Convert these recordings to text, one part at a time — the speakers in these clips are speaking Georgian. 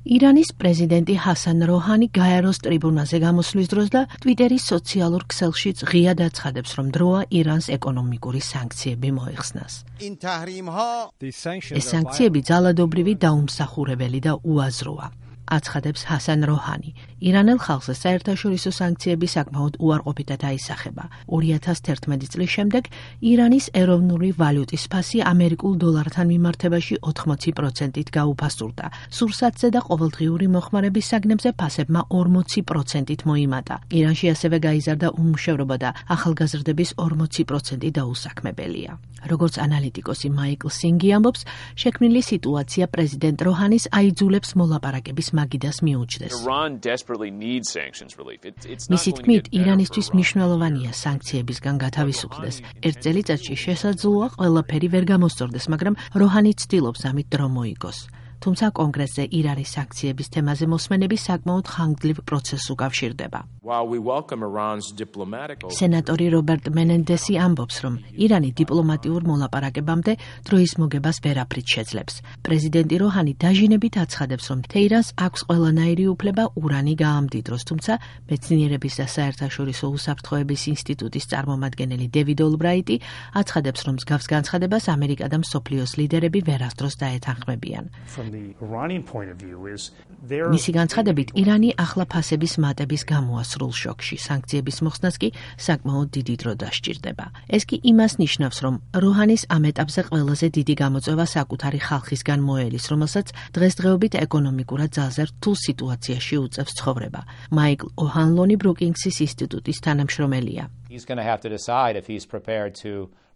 ირანის პრეზიდენტი ჰასან როჰანი გაეროს ტრიბუნაზე გამოსვლის დროს და ტვიტერის სოციალურ ქსელშიც ღიად აცხადებს, რომ დროა ირანს ეკონომიკური სანქციები მოეხსნას. ეს სანქციები ძალადობრივი, დაუმსახურებელი და უაზროა. აცხადებს ჰასან როჰანი. ირანელ ხალხზე საერთაშორისო სანქციები საკმაოდ უარყოფითად აისახება. 2011 წლის შემდეგ ირანის ეროვნული ვალუტის ფასი ამერიკულ დოლართან მიმართებაში 80%-ით გაუფასურდა. სურსათზე და ყოველდღიური მოხმარების საგნებზე ფასებმა 40%-ით მოიმატა. ირანში ასევე გაიზარდა უმუშევრობა და ახალგაზრდების 40% დაუსაქმებელია. როგორც ანალიტიკოსი მაიკლ სინგი ამბობს, შექმნილი სიტუაცია პრეზიდენტ როჰანის აიძულებს მოლაპარაკების მაგიდას მიუჩნდეს. მისი თქმით, ირანისთვის მნიშვნელოვანია სანქციებისგან გათავისუფლდეს. ერთ წელიწადში შესაძლოა ყველაფერი ვერ გამოსწორდეს, მაგრამ როჰანი ცდილობს ამით დრო მოიგოს. თუმცა კონგრესზე ირანის სანქციების თემაზე მოსმენები საკმაოდ ხანგრძლივ პროცესს უკავშირდება. სენატორი რობერტ მენენდესი ამბობს, რომ ირანი დიპლომატიურ მოლაპარაკებამდე დროის მოგებას ვერაფრით შეძლებს. პრეზიდენტი როჰანი დაჟინებით აცხადებს, რომ თეირანს აქვს ყველანაირი უფლება ურანი გაამდიდროს, თუმცა მეცნიერების და საერთაშორისო უსაფრთხოების ინსტიტუტის წარმომადგენელი დევიდ ოლბრაიტი აცხადებს, რომ მსგავს განცხადებას ამერიკა და მსოფლიოს ლიდერები ვერასდროს დაეთანხმებიან. მისი განცხადებით, ირანი ახლა ფასების მატების გამოა სრულ შოკში, სანქციების მოხსნას კი საკმაოდ დიდი დრო დასჭირდება. ეს კი იმას ნიშნავს, რომ როჰანის ამ ეტაპზე ყველაზე დიდი გამოწვევა საკუთარი ხალხისგან მოელის, რომელსაც დღესდღეობით ეკონომიკურად ძალზე რთულ სიტუაციაში უწევს ცხოვრება. მაიკლ ოჰანლონი ბრუკინგსის ინსტიტუტის თანამშრომელია.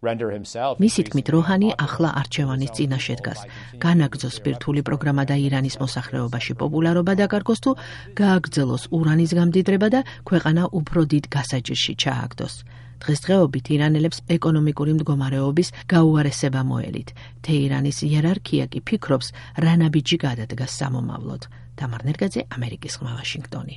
მისი თქმით, როჰანი ახლა არჩევანის წინაშე დგას. განაგრძოს ბირთვული პროგრამა და ირანის მოსახლეობაში პოპულარობა დაკარგოს თუ გააგრძელოს ურანის გამდიდრება და ქვეყანა უფრო დიდ გასაჭირში ჩააგდოს. დღესდღეობით ირანელებს ეკონომიკური მდგომარეობის გაუარესება მოელით. თეირანის იერარქია კი ფიქრობს, რა ნაბიჯი გადადგას სამომავლოდ. თამარ ნერგაძე, ამერიკის ხმა, ვაშინგტონი.